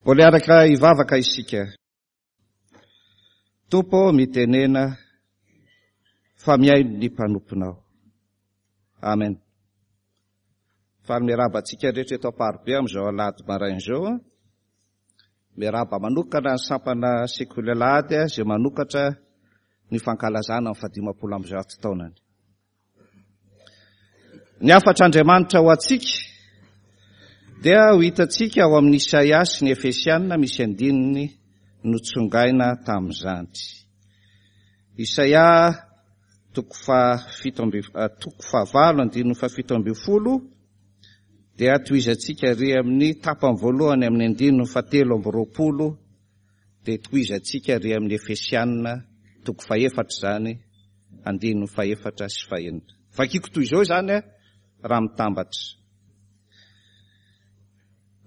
Mbola hiaraka hivavaka isika. Tompo ô, mitenena fa mihaino ny mpanomponao. Amen. Faly miarahaba antsika rehetra eto Amparibe amin'izao alahady maraina izao. Miarahaba manokana ny sampana sekoly alahady izay manokatra ny fankalazana ny fahadimampolo amby zato taonany. Ny hafatr'Andriamanitra ho antsika dia ho hitantsika ao amin'ny Isaia sy ny Efesiana misy andininy notsongaina tamin'izany. Isaia toko fahafito amby eh, toko fahavalo andininy fahafito ambin'ny folo dia tohizantsika ary amin'ny tapany voalohany amin'ny andininy fahatelo amby roapolo dia tohizantsika ary amin'ny Efesiana toko fahefatra izany andininy fahefatra sy fahenina. Vakiko toy izao izany raha mitambatra.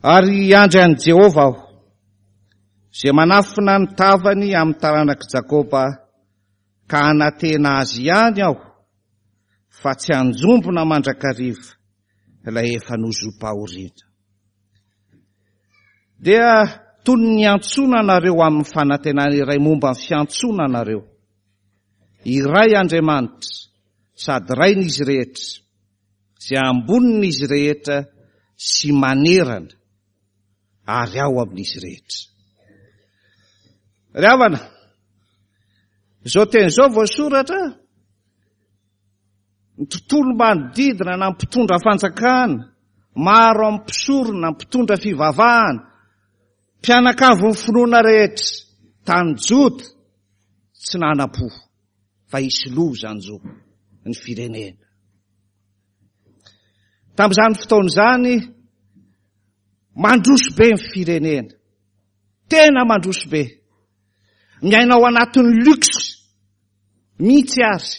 Ary hiandry an'i Jehovah aho, izay manafina ny tavany amin'ny taranak'i Jakoba, ka hanantena azy ihany aho, fa tsy hanjombona mandrakariva ilay efa nozom-pahoriana. Dia toy ny niantsoana anareo amin'ny fanantenana iray momba ny fiantsoana anareo. Iray Andriamanitra, sady Rain'izy rehetra, izay ambonin'izy rehetra sy manerana ary ao amin'izy rehetra. Ry havana, izao teny izao voasoratra, ny tontolo manodidina na mpitondra fanjakana, maro amin'ny mpisorona, mpitondra fivavahana, mpianakavin'ny finoana rehetra tany Joda, tsy nanam-po fa hisy loza hanjo ny firenena. Tamin'izany fotoana izany, mandroso be ny firenena. Tena mandroso be. Miaina ao anatin'ny luxe mihitsy ary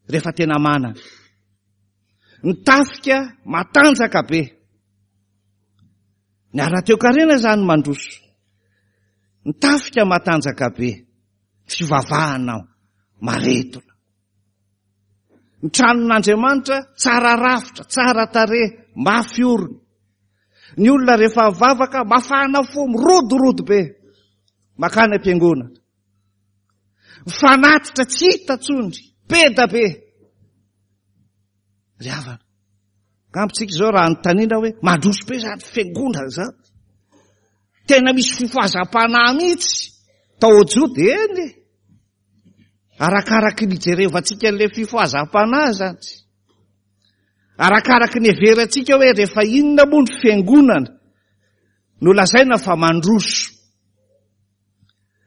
rehefa tena manana. Ny tafika matanjaka be. Ny ara-toekarena izany mandroso. Ny tafika matanjaka be. Fivavahana maredona. Ny tranon'Andriamanitra tsara rafitra, tsara tarehy, mafy orina. Ny olona rehefa mivavaka mafana fo, mirodorodo be. Makany am-piangonana. Mifanatitra tsy hita tsony, be da be. Ry havana, angamba tsika izao raha anontaniana hoe mandroso be izany fiangonana izany. Tena misy fifohazam-panahy mihitsy tao Joda, eny e. Arakaraky ny ijerevantsika an'ilay fifohazam-panahy izany. Arakaraky ny heverantsika hoe rehefa inona moa ny fiangonana no lazaina fa mandroso.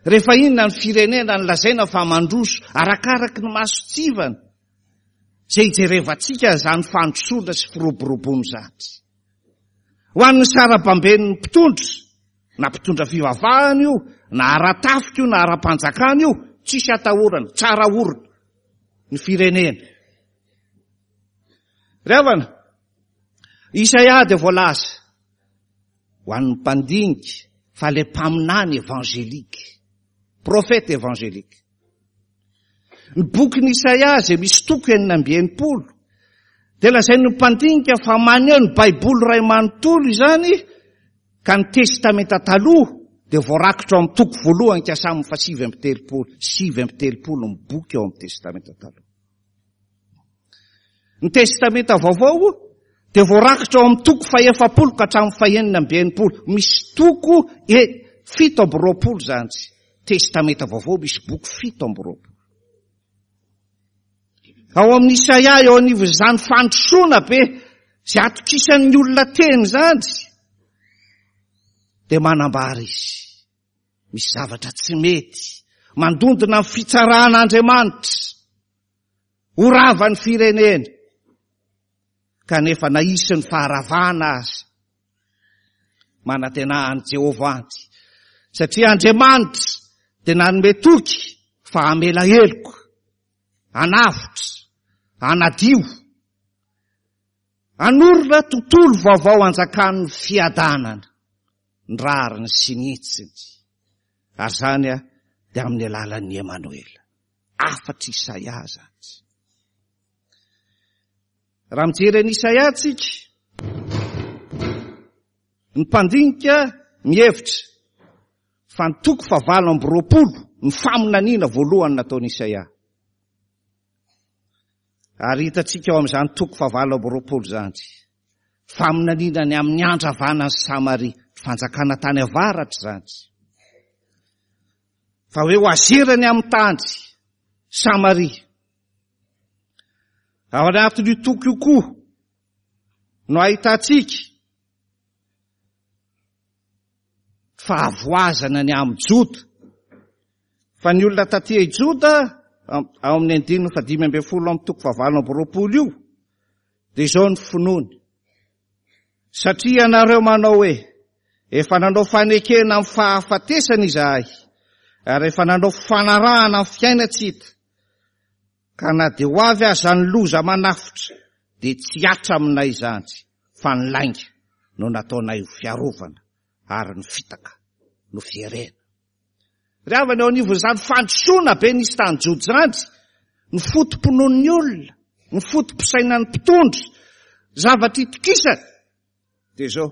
Rehefa inona ny firenena no lazaina fa mandroso, arakaraky ny mason-tsivana izay ijerevantsika izany fandrosoana sy firoboroboana izany. Ho an'ny sarabamben'ny mpitondra, na mpitondra fivavahana io, na ara-tafika io, na ara-panjakana io, tsisy atahorana, tsara orina ny firenena. Ry havana, Isaia dia voalaza ho an'ny mpandinika fa ilay mpaminany évangélique, prophète évangélique. Ny bokin'i Isaia izay misy toko 66 dia lazain'ny mpandinika fa maneho ny Baiboly iray manontolo izany ka ny Testamenta Taloha dia voarakitra ao amin'ny toko voalohany ka hatramin'ny fahasivy amby telopolo, 39 ny boky ao amin'ny Testamenta Taloha. Ny Testamenta Vaovao dia voarakitra ao amin'ny toko fahefapolo ka hatramin'ny fahenina amby enimpolo. Misy toko e 27 izany. Testamenta Vaovao misy boky 27. Ao amin'ny Isaia eo anivon'izany fandrosoana be izay atokisan'ny olona teny izany dia manambara izy. Misy zavatra tsy mety, mandondona ny fitsaran'Andriamanitra. Ho rava ny firenena. Kanefa na hisy ny faharavana aza, manantena an'i Jehovah anty. Satria Andriamanitra dia nanome toky fa hamela heloka, hanavotra, hanadio, hanorina tontolo vaovao hanjakan'ny fiadanana, ny rariny sy ny hitsiny. Ary izany dia amin'ny alalan'ny Emanoela. Hafatr'i Isaia izany. Raha mijery an'i Isaia tsika, ny mpandinika mihevitra fa ny toko fahavalo amby roapolo ny faminaniana voalohany nataon'i Isaia. Ary hitantsika ao amin'izany toko fahavalo amby roapolo izany, faminaniana ny amin'ny handravana an'i Samaria, fanjakana tany avaratra izany. Fa hoe ho azerany amin'ny tany Samaria. Ao anatin'io toko io koa no ahitantsika fahavoazana ny amin'i Joda. Fa ny olona taty i Joda, ao amin'ny andininy fahadimy ambin'ny folo amin'ny toko fahavalo amby roapolo io, dia izao ny finoany. Satria ianareo manao hoe, efa nanao fanekena amin'ny fahafatesana izahay, ary efa nanao fanarahana amin'ny fiaina-tsy hita, ka na dia ho avy aza ny loza manafotra, dia tsy hihatra aminay izany, fa ny lainga no nataonay ho fiarovana, ary ny fitaka no fierena. Ry havana, eo anivon'izany fandrosoana be nisy tany Joda izany, ny foto-pinoan'ny olona, ny foto-pisainan'ny mpitondra, zavatra itokisana, dia izao,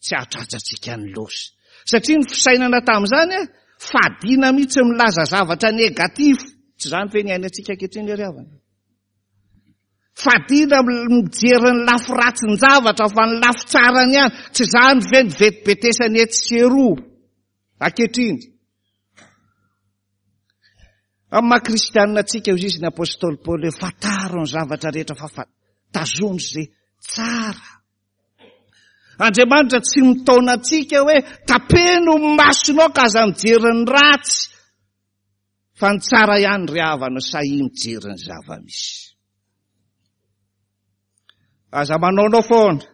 tsy hahatratra antsika ny loza. Satria ny fisainana tamin'izany, fadiana mihitsy milaza zavatra négatif. Tsy izany ve ny iainantsika ankehitriny ry havana? Fadiana mijery ny lafy ratsin-javatra fa ny lafy tsarany ihany. Tsy izany ve ny vetibetesany etsy sy eroa ankehitriny? Amin'ny maha kristianina antsika, hoy izy ny apostoly Paoly hoe fantaro ny zavatra rehetra fa tazono izay tsara. Andriamanitra tsy mitaona antsika hoe tapeno ny masonao ka aza mijery ny ratsy. Fa ny tsara ihany ry havana sahia mijery ny zava-misy. Aza manaonao foana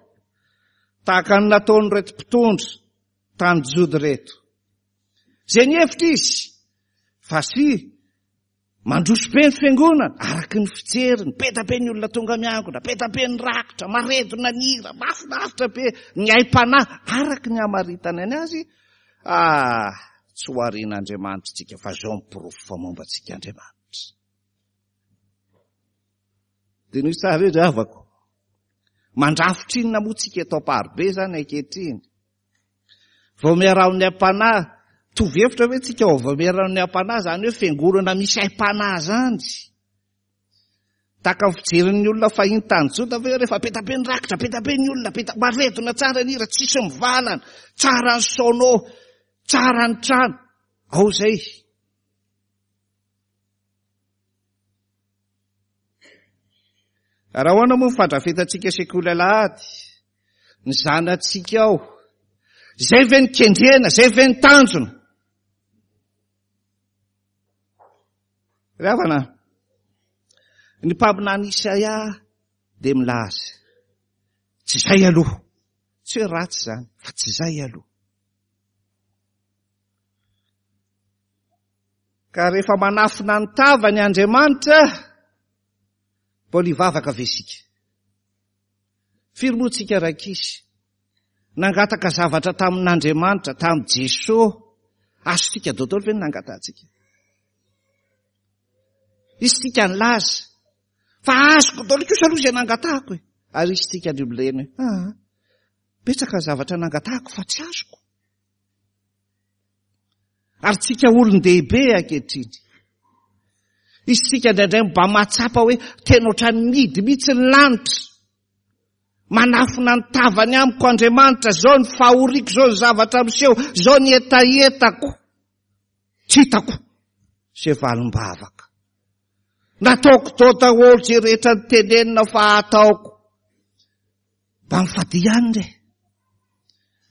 tahaka ny nataon'ireto mpitondra tany Joda ireto. Izay nihevitra izy fa sy mandroso be ny fiangonana araka ny fijeriny, be dia be ny olona tonga miangona, be dia be ny rakitra, maredona ny hira, mahafinaritra be ny aim-panahy araka ny hamaritany ny azy. Ah, tsy ho arian'Andriamanitra isika fa izao ny porofo fa momba antsika Andriamanitra. Diniho tsara io ry havako. Mandrafitra inona moa tsika eto Amparibe izany ankehitriny? Vaomieran'ny aim-panahy, mitovy hevitra ve tsika ao vaomieran'ny aim-panahy izany hoe fiangonana misy aim-panahy izany? Tahaka ny fijerin'ny olona fahiny tany Joda ve rehefa be dia be ny rakitra, be dia be ny olona, be dia maredona tsara ny hira, tsisy mivalana, tsara ny sono, tsara ny trano. Ao izay. Raha ahoana moa ny fandrafetantsika sekoly alahady, ny zanatsika ao? Izay ve ny kendrena, izay ve ny tanjona? Ry havana, ny mpaminany Isaia dia milaza, tsy izay aloha, tsy hoe ratsy izany, fa tsy izay aloha. Ka rehefa manafina ny tavany Andriamanitra, mbola hivavaka ve isika? Firy moa tsika rankizy nangataka zavatra tamin'Andriamanitra, tamin'i Jesoa? Azontsika daholo ve ny nangatahantsika? Isika nilaza fa azoko daholo kosa aloha izay nangatahako e. Ary isika ny olona hoe, ah, betsaka ny zavatra nangatahako fa tsy azoko. Ary tsika olon-dehibe ankehitriny. Isika indraindray mba mahatsapa hoe tena ohatran'ny mihidy mihitsy ny lanitra. Manafina ny tavany amiko Andriamanitra, izao ny fahoriako, izao ny zavatra miseho, izao ny hetahetako. Tsy hitako izay valim-bavaka. Nataoko tao daholo izay rehetra nitenenina fa hataoko. Mba mifadia ihany re.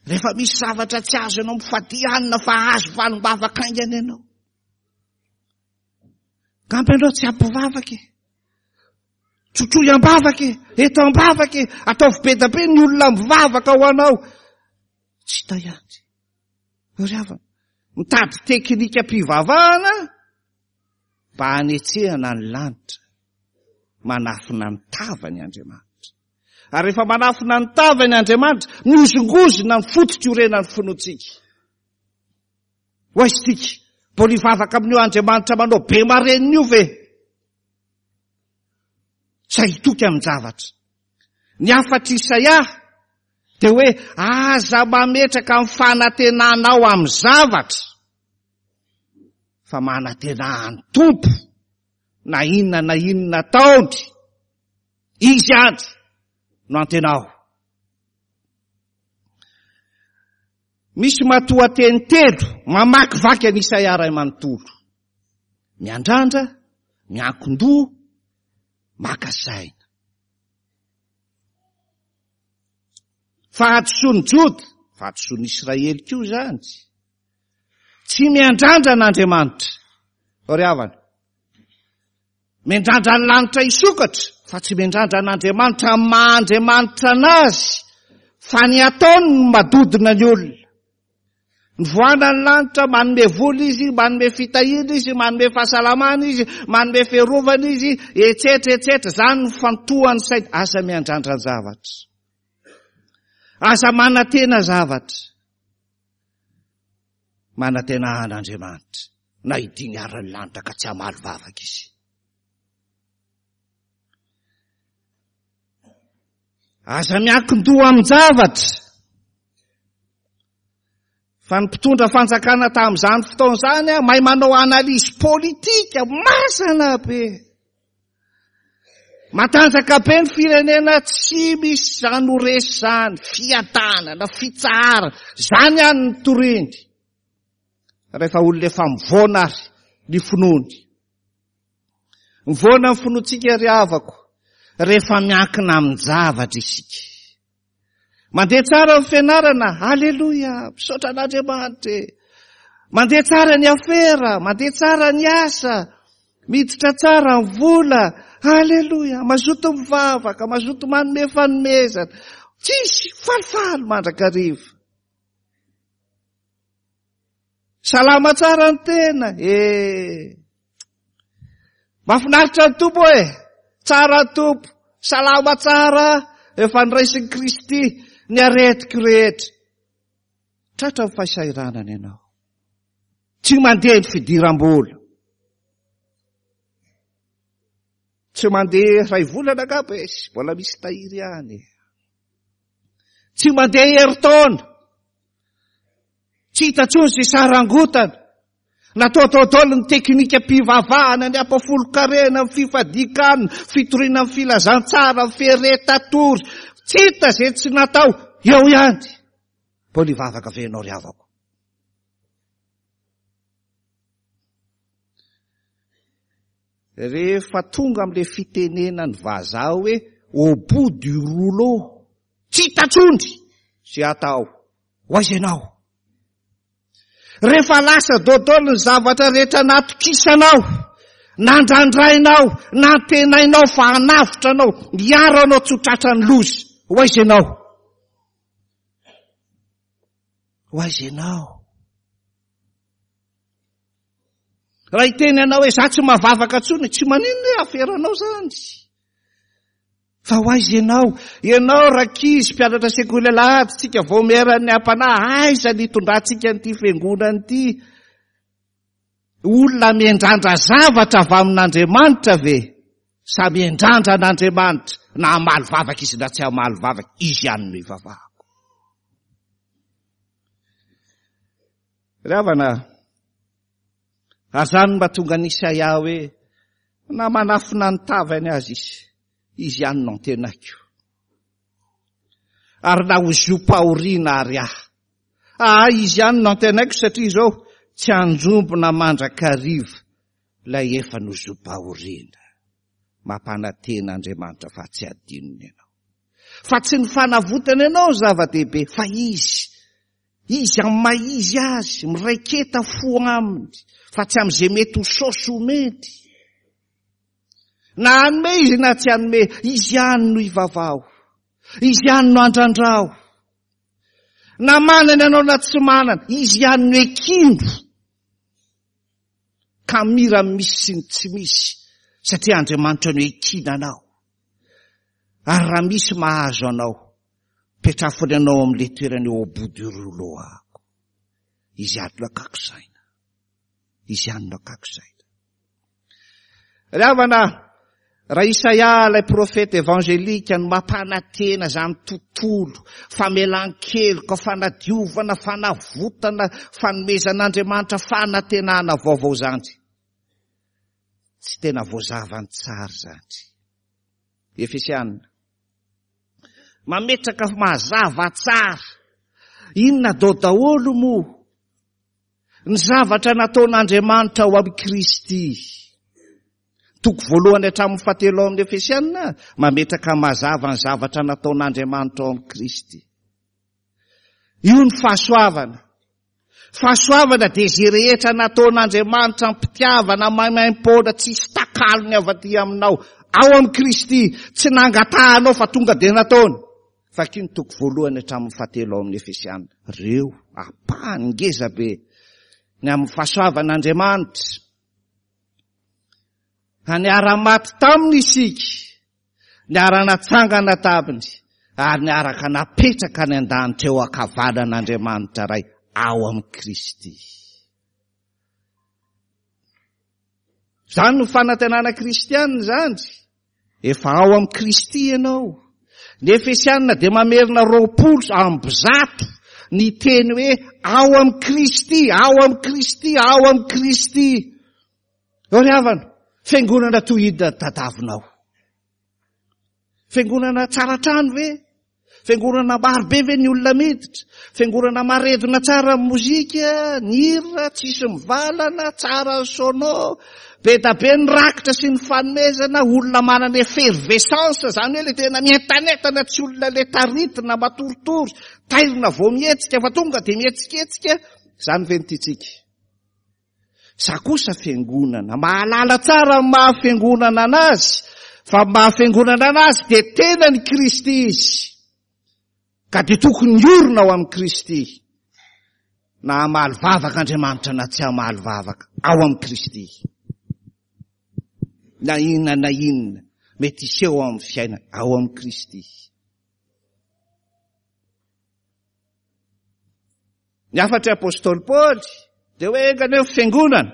Rehefa misy zavatra tsy azo ianao mifadia hanina fa azo valim-bavaka haingana ianao. Angamba ianao tsy ampivavaka e. Trotroy am-bavaka e, eto am-bavaka e, ataovy be dia be ny olona mivavaka ho anao. Tsy hita ihany. Ry havana, mitady teknikam-pivavahana mba hanetsehana ny lanitra. Manafina ny tavany Andriamanitra. Ary rehefa manafina ny tavany Andriamanitra, mihozongozona ny fototr'iorenan'ny finoantsika. Ho aiza isika? Mbola hivavaka amin'io Andriamanitra manao be marenina io ve? Sa hitoky amin-javatra? Ny hafatr'i Isaia Dia hoe aza mametraka ny fanantenanao amin'ny zavatra fa manantena an'ny Tompo na inona na inona ataony. Izy ihany no antenao. Misy matoanteny telo mamakivaky an'i Isaia ray manontolo. Miandrandra, miankin-doha, maka saina. Fahadisoan'i Joda, fahadisoan'i Israely koa izany. Tsy miandrandra an'Andriamanitra. Ry havana, miandrandra ny lanitra hisokatra, fa tsy miandrandra an'Andriamanitra amin'ny maha Andriamanitra anazy, fa ny ataony no madodona ny olona. Mivoana ny lanitra, manome vola izy, manome fitahiana izy, manome fahasalamana izy, manome fiarovana izy, etsetra etsetra. Izany no fantohan'ny saina. Aza miandrandra zavatra. Aza manantena zavatra. Manantena an'Andriamanitra na hidiny ary ny lanitra ka tsy hamaly vavaka izy. Aza miankin-doha amin-javatra. Fa ny mpitondra fanjakana tamin'izany fotoana izany mahay manao analyse politika masana be. Matanjaka be ny firenena tsy misy izany ho resy izany, fiadanana, fitsaharana, izany ihany ny toriny. Rehefa olona efa mivoana ary ny finoany. Mivoana ny finoantsika ry havako rehefa miankina amin-javatra isika. Mandeha tsara ny fianarana, aleloia, misaotra an'Andriamanitra e. Mandeha tsara ny afera, mandeha tsara ny asa, miditra tsara ny vola, aleloia, mazoto mivavaka, mazoto manome fanomezana. Tsisy, falifaly mandrakariva. Salama tsara ny tena, e. Mahafinaritra ny Tompo e! Tsara ny Tompo, salama tsara, efa niraisin'i Kristy ny aretiko rehetra. Tratra ny fahasahiranana ianao. Tsy mandeha ny fidiram-bola. Tsy mandeha iray volana angamba izy, mbola misy tahiry ihany. Tsy mandeha herintaona. Tsy hita intsony izay sarangotana. Natao daholo ny teknikam-pivavahana, ny ampafolon-karena, ny fifadian-kanina, fitoriana ny filazantsara, ny feretatory. Tsy hita izay tsy natao. Eo ihany. Mbola hivavaka ve ianao ry havako? Rehefa tonga amin'ilay fitenenan'ny vazaha hoe au bout du rouleau, tsy hita intsony izay atao. Ho aiza ianao? Rehefa lasa dodol ny zavatra rehetra natokisanao, nandrandrainao, nantenainao fa hanavotra anao, hiaro anao tsy ho tratran'ny loza. Ho aiza ianao? Ho aiza ianao? Raha hiteny anao hoe za tsy mavavaka intsony, tsy maninona hoe aferanao zany. Fa ho aiza ianao? Ianao rankizy mpianatra sekoly alahady, tsika vaomieran'ny ampanahy, aiza ny hitondrantsika an'ity fiangonana ity? Olona miandrandra zavatra avy amin'Andriamanitra ve? Sa miandrandra an'Andriamanitra na hamaly vavaka izy na tsy hamaly vavaka, izy ihany no ivavahako. Ry havana, ary izany no mahatonga an'i Isaia hoe na manafina ny tavany aza izy, izy ihany no antenaiko. Ary na ho zom-pahoriana ary ahy. Ah, izy ihany no antenaiko satria izao tsy hanjombona mandrakariva ilay efa nozom-pahoriana. Mampanantena Andriamanitra fa tsy hadinony ianao. Fa tsy ny fanavotana ianao no zava-dehibe fa izy. Izy amin'ny maha izy azy, miraiketa fo aminy fa tsy amin'izay mety ho saosy omeny. Na hanome izy na tsy hanome, izy ihany no ivavaho. Izy ihany no andrandrao. Na manana ianao na tsy manana, izy ihany no ekino. Ka mira misy sy ny tsy misy, satria Andriamanitra no ekina anao. Ary raha misy mahazo anao, petrafony anao amin'ilay toerana eo au bout du rouleau ako. Izy ihany no akako saina. Izy ihany no akako saina. Ry havana, Raha Isaia ilay profeta evangelika no mampanantena izany tontolo, famelan-keloka, fanadiovana, fanavotana, fanomezan'Andriamanitra fanantenana vaovao izany. Tsy tena voazavany tsara izany. Efesiana. Mametraka mazava tsara. Inona dao daholo moa? Ny zavatra nataon'Andriamanitra ao amin'i Kristy. Toko voalohany hatramin'ny fahatelo ao amin'ny Efesiana, mametraka mazava ny zavatra nataon'Andriamanitra ao amin'i Kristy. Io ny fahasoavana. Fahasoavana dia izay rehetra nataon'Andriamanitra am-pitiavana maimaim-poana tsisy takalony avy aty aminao. Ao amin'i Kristy, tsy nangatahanao fa tonga dia nataony. Vakio ny toko voalohany hatramin'ny fahatelo ao amin'ny Efesiana. Ireo ampahany ngeza be ny amin'ny fahasoavan'Andriamanitra. Ka niara-maty taminy isika, niara-natsangana taminy, ary niaraka napetraka any an-danitra eo ankavanan'Andriamanitra Ray ao amin'i Kristy. Izany no fanantenana kristianina izany. Efa ao amin'i Kristy ianao. Ny Efesianina dia mamerina 120 ny teny hoe ao amin'i Kristy, ao amin'i Kristy, ao amin'i Kristy. Eo ry havana, fiangonana toy inona tadavinao? Fiangonana tsara trano ve? Fiangonana maro be ve ny olona miditra? Fiangonana maredona tsara ny mozika, ny hira, tsisy mivalana, tsara ny sono, be da be ny rakitra sy ny fanomezana, olona manana effervescence, izany hoe le tena mientanentana, tsy olona le taritina, matoritory, tairina vao mihetsika fa tonga dia mihetsiketsika, izany ve no tiantsika? Za kosa fiangonana, mahalala tsara ny maha fiangonana anazy, fa ny maha fiangonana anazy dia tenan'i Kristy izy. Ka dia tokony hiorina ao amin'i Kristy. Na hamaly vavaka Andriamanitra na tsy hamaly vavaka, ao amin'i Kristy. Na inona na inona mety hiseho ao amin'ny fiainana, ao amin'i Kristy. Ny hafatr'i Apostoly Paoly dia hoe enga anie ny fiangonana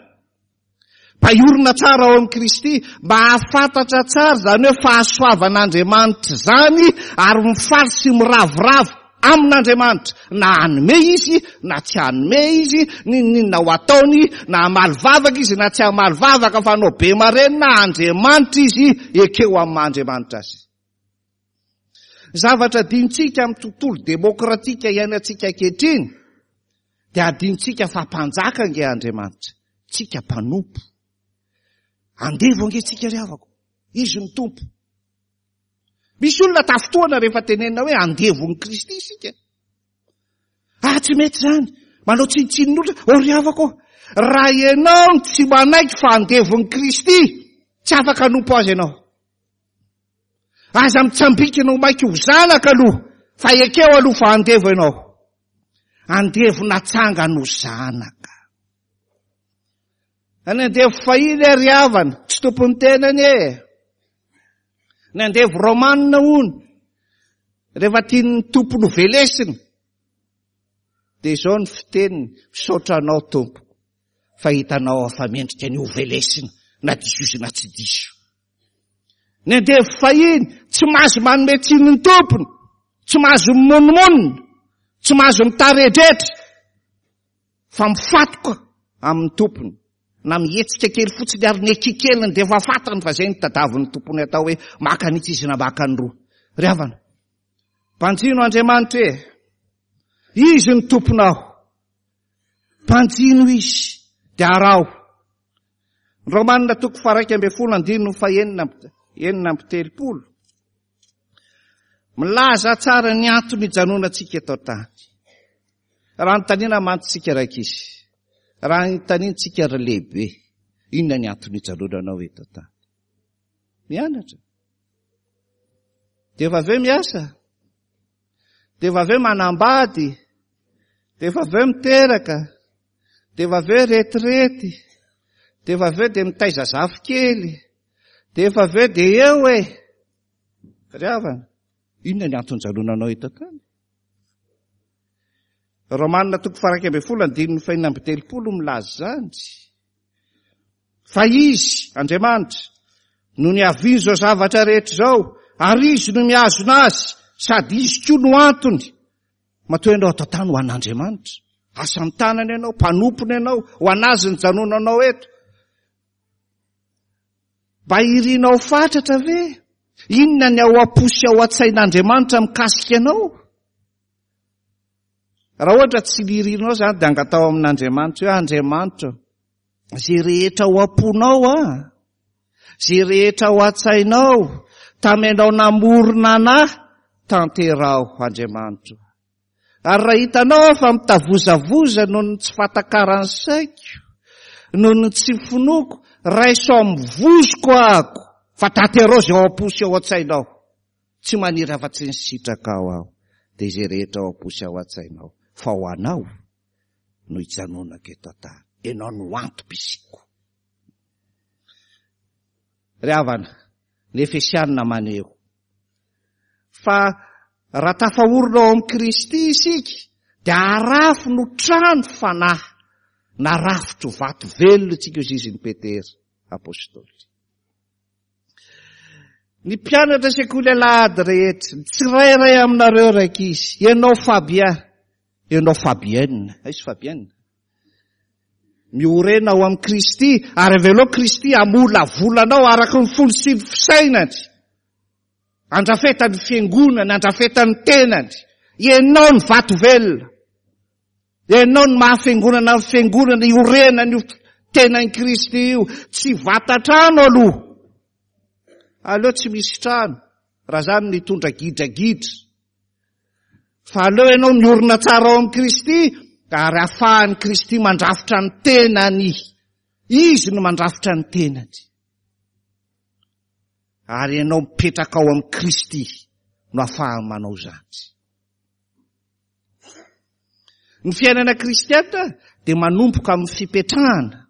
mba hiorina tsara ao amin'i Kristy, mba hahafantatra tsara izany hoe fahasoavan'Andriamanitra izany ary mifaly sy miravoravo amin'Andriamanitra, na hanome izy na tsy hanome izy, n'inon'inona ho ataony, na hamaly vavaka izy na tsy hamaly vavaka, fa hanao be marenina Andriamanitra izy, ekeo amin'ny maha Andriamanitra azy. Zavatra adinontsika amin'ny tontolo demokratika iainantsika ankehitriny dia adinontsika fa mpanjaka ange Andriamanitra, tsika mpanompo. Andevo ange tsika ry havako, izy no tompo. Misy olona tafintohana rehefa tenenina hoe andevon'i Kristy isika. Ah, tsy mety izany. Manao tsinontsinon'olona. Oh, ry havako, raha ianao no tsy manaiky fa andevon'i Kristy, tsy afaka hanompo azy ianao. Aza mitsambikina ho maika ho zanaka aloha, fa ekeo aloha fa andevo ianao. Andevo natsangana ho zanaka. Ny andevo fahiny ary havana, tsy tompon'ny tenany e. Ny andevo romanina hono, rehefa tian'ny tompony ho velesina, dia izao ny fiteniny, misaotra anao tompoko, fa hitanao aho fa mendrika ny ho velesina, na diso izy na tsy diso. Ny andevo fahiny tsy mahazo manome tsiny ny tompony, tsy mahazo mimonomonona, tsy mahazo mitaredretra, fa mifatoka amin'ny tompony. Na mihetsika kely fotsiny ary ny ekikeliny dia efa fantany fa izay no tadavin'ny tompony atao hoe maka an'itsy izy na maka ny roa. Ry havana, banjino Andriamanitra e! Izy ny tomponao. Banjino izy dia araho. Romanina toko faha-11 andininy faha-36. Milaza tsara ny antony ijanonantsika eto an-tany. Raha anontaniana mantsy tsika rankizy, raha anontaniantsika ry lehibe, inona ny antony ijanonanao eto an-tany? Mianatra. Dia efa avy eo miasa. Dia efa avy eo manambady. Dia efa avy eo miteraka. Dia efa avy eo retirety. Dia efa avy eo dia mitaiza zafikely. Dia efa avy eo dia eo e. Ry havana, inona ny antony ijanonanao eto an-tany? Romanina toko faha-11 andininy faha-36 milaza izany. Fa Izy, Andriamanitra, No niavian'izao zavatra rehetra izao, ary Izy no mihazona azy, sady Izy koa no antony. Matoa ianao ato an-tany ho an'Andriamanitra. Asan'ny tanany ianao, mpanompony ianao, ho an'Azy ny janonanao eto. Mba irinao fatratra ve? Inona ny ao am-po sy ao an-tsain'Andriamanitra mikasika anao? Raha ohatra tsy lirinao izany dia angataho amin'Andriamanitra hoe Andriamanitra, izay rehetra ao am-ponao ah, izay rehetra ao an-tsainao, tamianao namorona anah, tanteraho Andriamanitra. Ary raha hitanao aho fa mitavozavoza noho ny tsy fahatakaran'ny saiko, noho ny tsy finoako, raiso amin'ny vozoko ahako, fa tanteraho izay ao am-po sy ao an-tsainao. Tsy maniry afa-tsy ny sitrakao aho, dia izay rehetra ao am-po sy ao an-tsainao, fa ho anao no hijanonako eto an-tany. Ianao no antom-pisiako. Ry havana, ny Efesianina maneho fa raha tafaorina ao amin'i Kristy isika, dia arafo no trano fanahy, na rafitro vato velona isika, hoy izy ny Petera Apostoly. Ny mpianatra sekoly alahady rehetra, ny tsirairay aminareo rankizy, ianao Fabien, ianao Fabienne, aiza Fabienne? Miorena ao amin'i Kristy, ary avelao Kristy hamolavola anao araka ny fony sy ny fisainany. Andrafetany fiangonany, andrafetany tenany. Ianao ny vato velona. Ianao ny maha fiangonana ny fiangonana iorenany io tenan'i Kristy io. Tsy vata-trano aloha. Aleo tsy misy trano. Raha zany nitondra gidragidra. Fa aleo ianao miorina tsara ao amin'i Kristy ary afahan'i Kristy mandrafitra ny tenany. Izy no mandrafitra ny tenany. Ary ianao mipetraka ao amin'i Kristy no afahany manao izany. Ny fiainana kristiana dia manomboka amin'ny fipetrahana.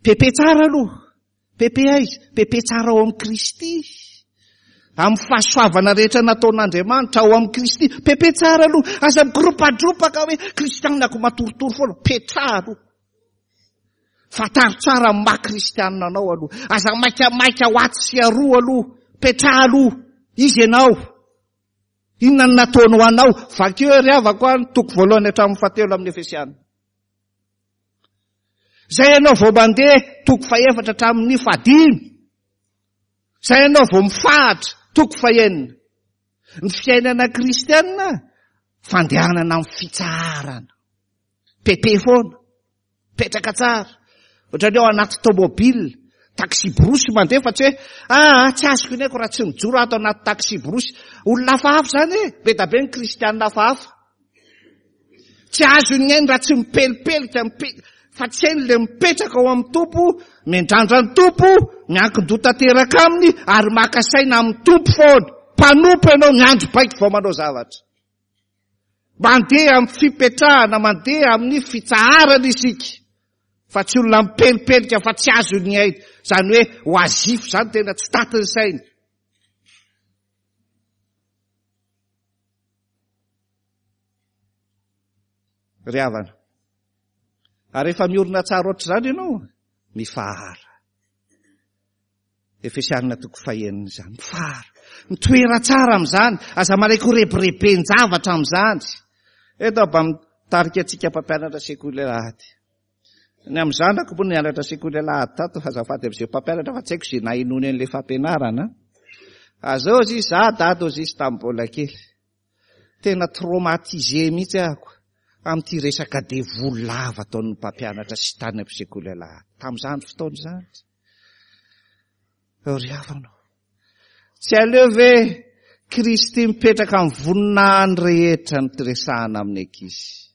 Pepe tsara aloha. Pepe aiza? Pepe tsara ao amin'i Kristy. Amin'ny fahasoavana rehetra nataon'Andriamanitra ao amin'i Kristy. Pepe tsara aloha. Aza migropadropaka hoe kristianina ko matoritory foana. Petraha aloha. Fantaro tsara ny maha kristianina anao aloha. Aza maikamaika ho atsy sy aroa aloha. Petraha aloha. Iza ianao? Inona no nataony ho anao? Vakio ry havako a, ny toko voalohany hatramin'ny fahatelo amin'ny Efesiana. Zay ianao vao mandeha toko fahefatra hatramin'ny fahadimy. Zay ianao vao mifahatra toko fahenina. Ny fiainana kristianina fandehanana amin'ny fitsaharana. Pepe foana. Petraka tsara. Ohatran'ny ao anaty tomobile, taxi-brousse mandeha fa tsy hoe ah, tsy azoko iny aiko raha tsy mijoro ato anaty taxi-brousse. Olona hafahafa izany e, be da be ny kristianina hafahafa. Tsy azony ny ainy raha tsy mipelipelika, mipe-, fa tsy hainy le mipetraka ao amin'ny Tompo, miandrandra ny Tompo, miankin-doha tanteraka aminy ary maka saina amin'ny Tompo foana. Mpanompo ianao, miandry baiko vao manao zavatra. Mandeha amin'ny fipetrahana, mandeha amin'ny fitsaharana isika. Fa tsy olona mipelipelika fa tsy azony aina. Izany hoe oazifo izany tena tsy tatin'ny sainy. Ry havana, ary efa miorina tsara ohatr'izany ianao, mifahara. Efesianina toko fahenina izany. Mifahara. Mitoera tsara amin'izany. Aza manaiky ho rebireben-javatra amin'izany. Eto mba mitarika antsika mpampianatra sekoly alahady. Ny amin'ny zanako moa nianatra sekoly alahady tato, azafady amin'izay mpampianatra fa tsy haiko izay nahenoany an'ilay fampianarana. Azao izy, za dada ozy izy tamin'ny mbola kely. Tena traumatisé mihitsy ahako amin'ity resaka devoly lava ataon'ny mpampianatra sy tany amin'ny sekoly alahady. Tamin'izany fotoana izany. Ry havana, tsy aleo ve Kristy mipetraka amin'ny voninahiny rehetra no resahana amin'ny ankizy?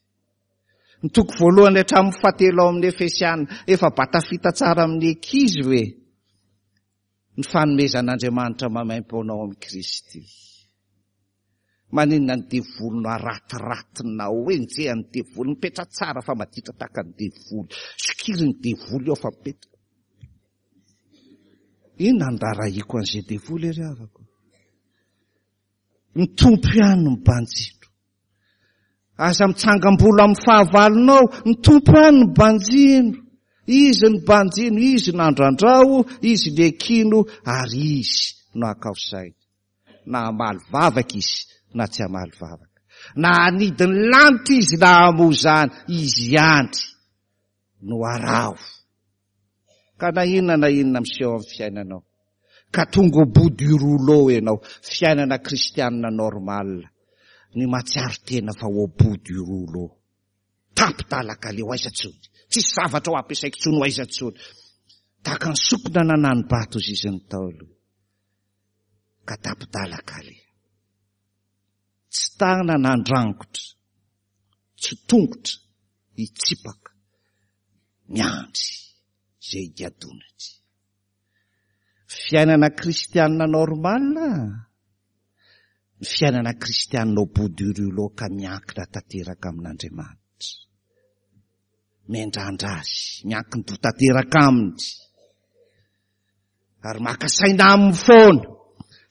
Ny toko voalohany hatramin'ny fahatelo ao amin'ny Efesiana, efa mba tafita tsara amin'ny ankizy ve ny fanomezan'Andriamanitra maimaimpoana ao amin'i Kristy? Maninona ny devoly no aratiratinao, enjehan'ny devoly, mipetra tsara fa maditra tahaka ny devoly, sokirin'ny devoly eo fa mipetra. Inona no rarahiko an'izay devoly ry havako? Ny Tompo ihany no mibanjino. Aza mitsangam-bolo amin'ny fahavalonao, ny Tompo ihany no banjino. Izy no banjino, Izy no andrandrao, Izy no ekino ary Izy no akao saina. Na hamaly vavaka Izy na tsy hamaly vavaka. Na hanidy ny lanitra Izy na hamoa izany, Izy ihany no araho. Ka na inona na inona miseho amin'ny fiainanao, ka tonga au bout du rouleau ianao, fiainana kristianina normal, ny mahatsiaro tena fa au bout du rouleau. Tapi-dalaka aleo aiza tsony, tsisy zavatra ho ampiasaiko tsony ho aiza tsony. Tahaka ny sokina nanani-bato izy izy ny Ntaolo, ka tapi-dalaka aleha. Tsy tanana handrangotra, tsy tongotra hitsipaka, miandry izay higadonany. Fiainana kristianina normal, ny fiainana kristianina au bout du rouleau ka miankina tanteraka amin'Andriamanitra. Miandrandra azy, miankin-doha tanteraka aminy. Ary maka saina aminy foana,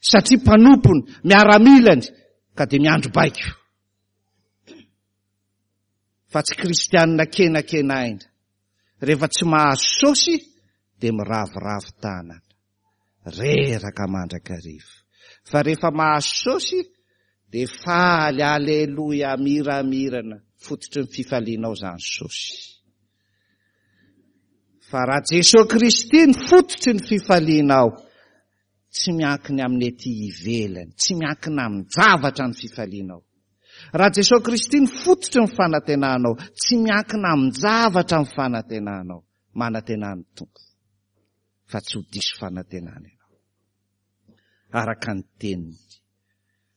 satria mpanompony, miaramilany, ka dia miandry baiko. Fa tsy kristianina kenakenaina. Rehefa tsy mahazo saosy dia miraviravy tanana. Reraka mandrakariva. Fa rehefa mahazo saosy dia faly, aleloia, miramirana. Fototry ny fifalianao izany saosy. Fa raha Jesoa Kristy ny fototry ny fifalianao, tsy miankina amin'ny ety ivelany, tsy miankina amin-javatra ny fifalianao. Raha Jesoa Kristy ny fototry ny fanantenanao, tsy miankina amin-javatra ny fanantenanao. Manantena ny Tompo fa tsy ho diso fanantenana ianao. Araka ny teniny.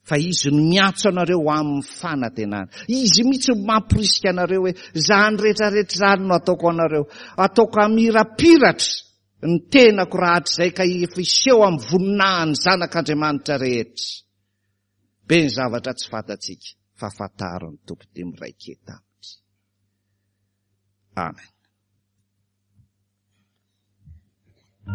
Fa Izy no miantso anareo ho amin'ny fanantenana. Izy mihitsy no mamporisika anareo hoe, izany rehetra rehetra izany no ataoko anareo. Ataoko hamirapiratra ny tenako rahatrizay ka efa hiseho amin'ny voninahin'ny zanak'Andriamanitra rehetra. Be ny zavatra tsy fantatsika fa fantaro ny Tompo dia miraiketa aminy. Amen.